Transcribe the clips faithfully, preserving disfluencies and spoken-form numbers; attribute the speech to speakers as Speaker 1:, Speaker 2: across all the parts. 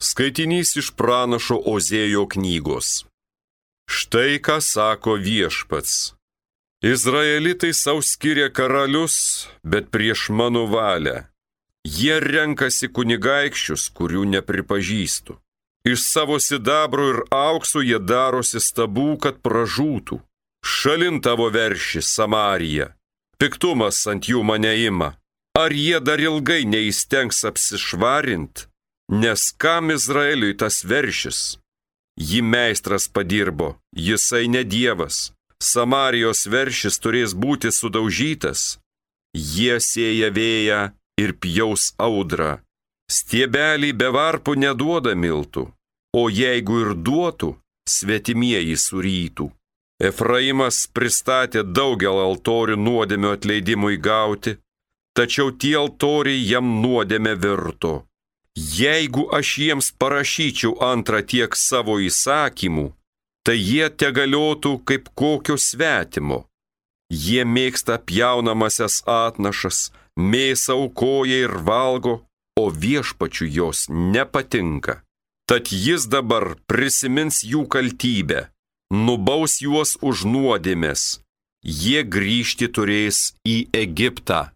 Speaker 1: Skaitinys iš pranašo Ozėjo knygos. Štai ką sako Viešpats. Izraelitai sau skiria karalius, bet prieš mano valią. Jie renkasi kunigaikščius, kurių nepripažįstu. Iš savo sidabro ir aukso jie darosi stabų, kad pražūtų. Šalin tavo verši, Samarija. Piktumas ant jų mane ima. Ar jie dar ilgai neįstengs apsišvarint? Nes kam Izraeliui tas veršis? Jį meistras padirbo, jisai ne dievas. Samarijos veršis turės būti sudaužytas. Jie sėja vėją ir pjaus audrą. Stiebelį be varpų neduoda miltų, o jeigu ir duotų, svetimieji surytų. Efraimas pristatė daugel altorių nuodėmio atleidimui gauti, tačiau tie altoriai jam nuodėmė virto. Jeigu aš jiems parašyčiau antrą tiek savo įsakymų, tai jie tegaliotų kaip kokio svetimo. Jie mėgsta pjaunamasias atnašas, mėsą aukoja ir valgo, o Viešpačiui jos nepatinka. Tad jis dabar prisimins jų kaltybę, nubaus juos už nuodėmes. Jie grįžti turės į Egiptą.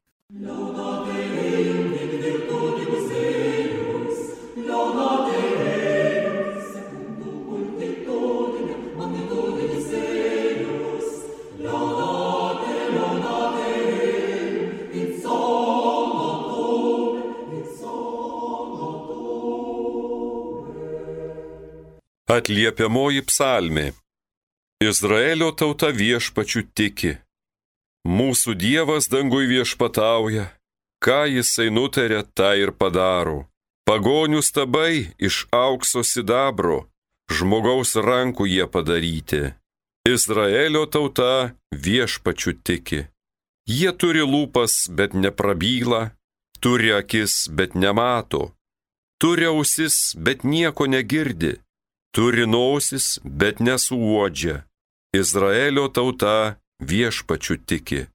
Speaker 1: Atliepiamoji psalmė. Izraelio tauta Viešpačiu tiki. Mūsų Dievas dangui viešpatauja, ką jisai nutarė, tą ir padaro. Pagonių stabai iš aukso sidabro, žmogaus rankų jie padaryti. Izraelio tauta Viešpačiu tiki. Jie turi lūpas, bet neprabyla, turi akis, bet nemato, turi ausis, bet nieko negirdi. Turi nosis, bet nesuuodžia. Izraelio tauta Viešpačiu tiki.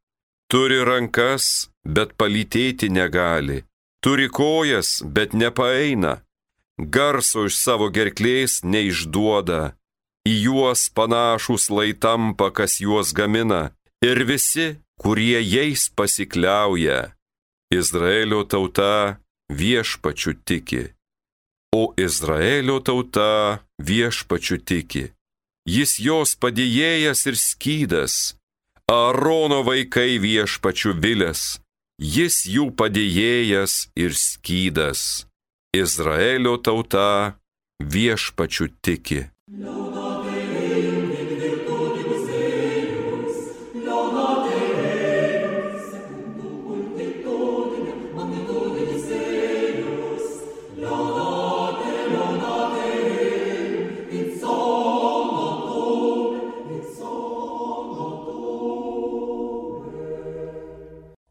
Speaker 1: Turi rankas, bet palytėti negali. Turi kojas, bet nepaeina. Garso iš savo gerklės neišduoda. Į juos panašūs lai tampa, kas juos gamina. Ir visi, kurie jais pasikliauja. Izraelio tauta Viešpačiu tiki. O Izraelio tauta Viešpačiu tiki. Jis jos padėjėjas ir skydas. Aarono vaikai Viešpačiu vilės. Jis jų padėjėjas ir skydas. Izraelio tauta Viešpačiu tiki.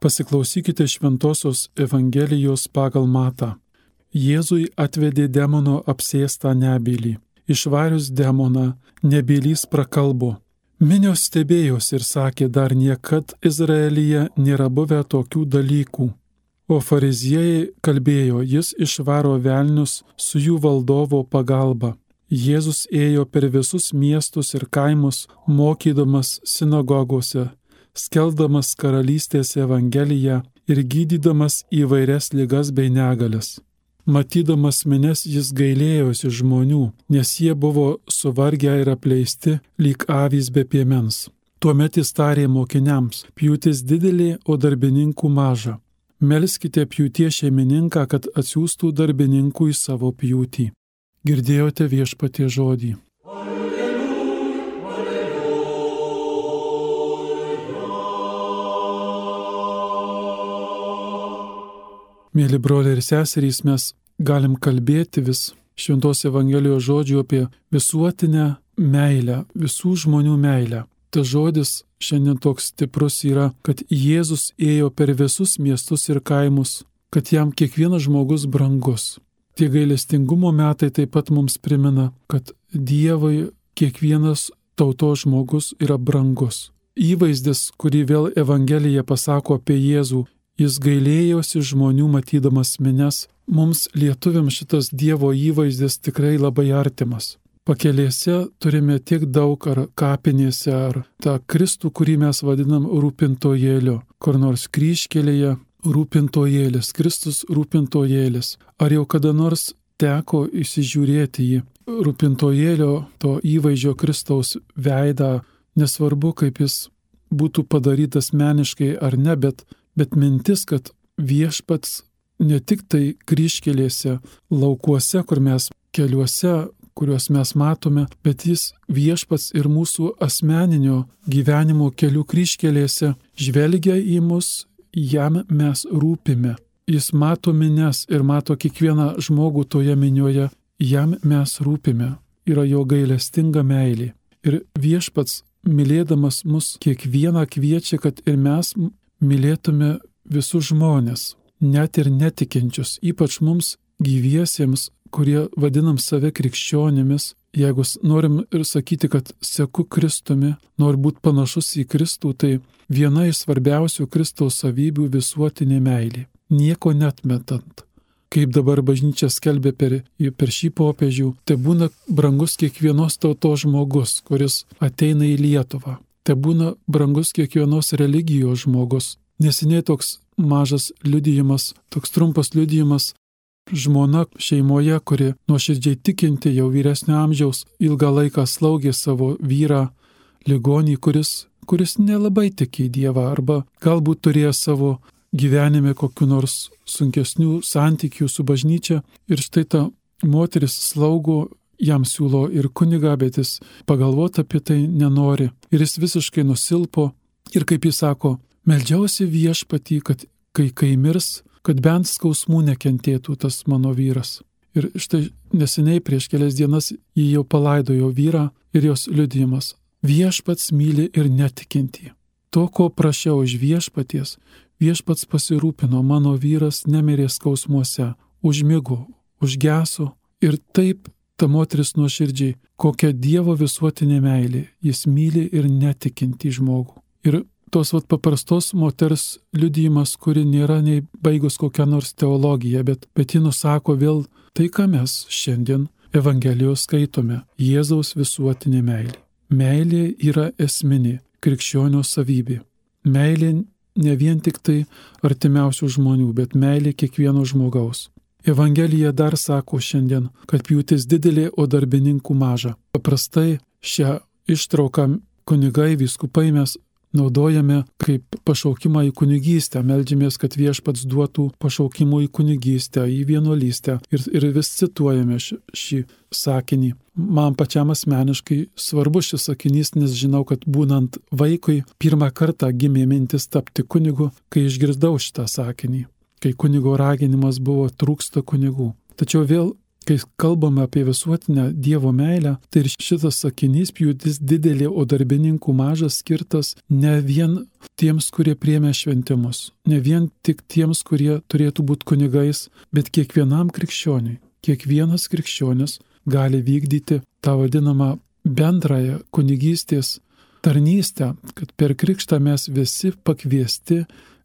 Speaker 2: Pasiklausykite šventosios Evangelijos pagal Matą. Jėzui atvedė demono apsėstą nebylį. Išvarius demoną, nebylys prakalbo. Minios stebėjos ir sakė, dar niekad Izraelyje nėra buvę tokių dalykų. O fariziejai kalbėjo, jis išvaro velnius su jų valdovo pagalba. Jėzus ėjo per visus miestus ir kaimus, mokydamas sinagogose, skelbdamas karalystės evangeliją ir gydydamas įvairias ligas bei negalias. Matydamas minias jis gailėjosi žmonių, nes jie buvo suvargę ir apleisti, lyg avys be piemens. Tuomet jis tarė mokiniams, pjūtis didelė, o darbininkų maža. Melskite pjūties šeimininką, kad atsiųstų darbininkų į savo pjūtį. Girdėjote Viešpaties žodį. Mėly broliai ir seserys, mes galim kalbėti vis šventos Evangelijos žodžių apie visuotinę meilę, visų žmonių meilę. Tas žodis šiandien toks stiprus yra, kad Jėzus ėjo per visus miestus ir kaimus, kad jam kiekvienas žmogus brangus. Tie gailestingumo metai taip pat mums primena, kad Dievui kiekvienas tautos žmogus yra brangus. Įvaizdis, kurį vėl Evangelija pasako apie Jėzų, jis gailėjosi žmonių matydamas minias, mums lietuviams šitas Dievo įvaizdis tikrai labai artimas. Pakelėse turime tiek daug ar kapinėse, ar tą Kristų, kurį mes vadinam rūpintojėliu, kur nors kryžkelėje rūpintojėlis, Kristus rūpintojėlis. Ar jau kada nors teko įsižiūrėti į rūpintojėlio to įvaizdžio Kristaus veidą, nesvarbu, kaip jis būtų padarytas meniškai ar ne, bet, bet mintis, kad viešpats ne tik tai kryžkelėse, laukuose, kur mes keliuose, kuriuos mes matome, bet jis viešpats ir mūsų asmeninio gyvenimo kelių kryžkelėse žvelgia į mus, jam mes rūpime. Jis mato mines ir mato kiekvieną žmogų toje minioje, jam mes rūpime. Yra jo gailestinga meilė. Ir viešpats, mylėdamas mus, kiekvieną kviečia, kad ir mes mylėtume visus žmonės, net ir netikinčius, ypač mums gyviesiems, kurie vadinam save krikščionimis. Jeigu norim ir sakyti, kad seku Kristumi, nori būti panašus į Kristų, tai viena iš svarbiausių Kristaus savybių visuotinė meilė. Nieko netmetant. Kaip dabar bažnyčia skelbia per, per šį popiežių, tai būna brangus kiekvienos tautos žmogus, kuris ateina į Lietuvą. Tai būna brangus kiekvienos religijos žmogus. Neseniai toks mažas liudijimas, toks trumpas liudijimas, žmona šeimoje, kuri nuoširdžiai tikinti, jau vyresnio amžiaus, ilgą laiką slaugė savo vyrą ligonį, kuris, kuris nelabai tiki į Dievą, arba galbūt turėjo savo gyvenime kokiu nors sunkesnių santykių su bažnyčia. Ir štai ta moteris slaugo, jam siūlo ir kunigą, bet jis pagalvoti apie tai nenori. Ir jis visiškai nusilpo. Ir kaip jis sako, meldžiausi viešpatį, kad kai, kai mirs, kad bent skausmų nekentėtų tas mano vyras. Ir štai neseniai prieš kelias dienas jį jau palaidojo vyrą ir jos liudijimas. Viešpats myli ir netikintį. To, ko prašiau iš viešpaties, viešpats pasirūpino, mano vyras nemirė skausmuose, užmigo, užgeso. Ir taip ta moteris nuoširdžiai, kokia Dievo visuotinė meilė, jis myli ir netikintį žmogų. Ir tos vat paprastos moters liudijimas, kuri nėra nei baigus kokią nors teologiją, bet, bet ji nusako vėl tai, ką mes šiandien Evangelijos skaitome – Jėzaus visuotinė meilė. Meilė yra esminė krikščionio savybė. Meilė ne vien tik tai artimiausių žmonių, bet meilė kiekvieno žmogaus. Evangelija dar sako šiandien, kad pjūtis didelė, o darbininkų maža. Paprastai šią ištrauką kunigai, vyskupai mes naudojame kaip pašaukimą į kunigystę, meldžiamės, kad viešpats duotų pašaukimų į kunigystę, į vienuolystę ir, ir vis cituojame š, šį sakinį. Man pačiam asmeniškai svarbus šis sakinys, nes žinau, kad būnant vaikui pirmą kartą gimė mintis tapti kunigu, kai išgirdau šitą sakinį, kai kunigo raginimas buvo trūksta kunigų. Tačiau vėl, kai kalbame apie visuotinę Dievo meilę, tai ir šitas sakinys pjūtis didelė, o darbininkų mažas skirtas ne vien tiems, kurie priėmė šventimus, ne vien tik tiems, kurie turėtų būti kunigais, bet kiekvienam krikščioniui. Kiekvienas krikščionis gali vykdyti tą vadinamą bendrąją kunigystės tarnystę, kad per krikštą mes visi pakviesti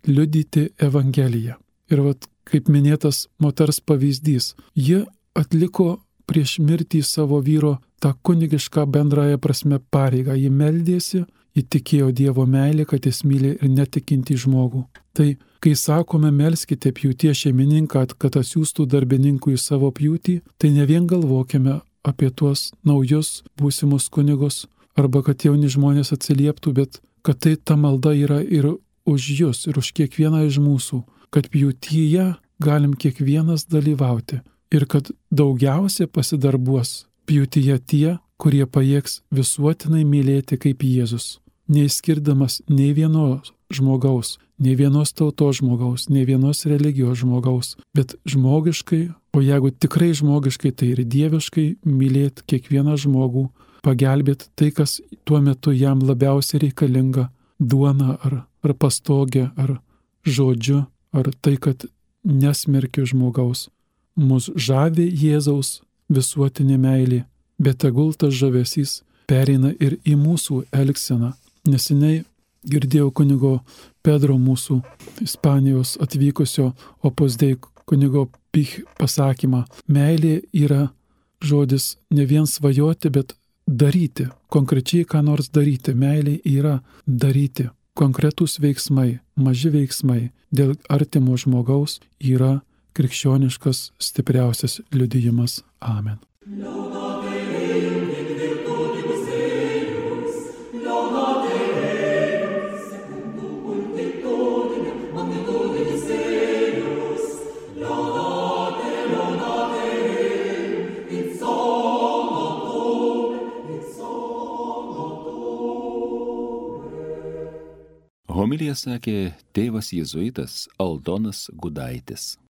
Speaker 2: liudyti Evangeliją. Ir vat, kaip minėtas moters pavyzdys, ji atliko prieš mirtį savo vyro tą kunigišką bendrąją prasme pareigą. Ji meldėsi, ji tikėjo Dievo meilę, kad jis myli ir netikintį žmogų. Tai, kai sakome, melskite pjūties šeimininką, kad atsiųstų darbininkų į savo pjūtį, tai ne vien galvokime apie tuos naujus būsimus kunigus, arba kad jauni žmonės atsilieptų, bet kad tai ta malda yra ir už jūs, ir už kiekvieną iš mūsų, kad pjūtyje galim kiekvienas dalyvauti. Ir kad daugiausia pasidarbuos pjūtyje tie, kurie pajėgs visuotinai mylėti kaip Jėzus, neįskirdamas nei vienos žmogaus, nei vienos tautos žmogaus, nei vienos religijos žmogaus, bet žmogiškai, o jeigu tikrai žmogiškai, tai ir dieviškai mylėti kiekvieną žmogų, pagelbėti tai, kas tuo metu jam labiausiai reikalinga – duona ar, ar pastogė, ar žodžiu, ar tai, kad nesmerkiu žmogaus. Mus žavi Jėzaus visuotinė meilė, bet tegul tas žavesys pereina ir į mūsų elgseną. Neseniai girdėjau kunigo Pedro, mūsų Ispanijos atvykusio Opus Dei kunigo Pich pasakymą. Meilė yra žodis ne vien svajoti, bet daryti. Konkrečiai ką nors daryti. Meilė yra daryti. Konkretūs veiksmai, maži veiksmai dėl artimo žmogaus yra krikščioniškas stipriausias liudijimas. Amen.
Speaker 3: Homiliją sakė tėvas jėzuitas Aldonas Gudaitis.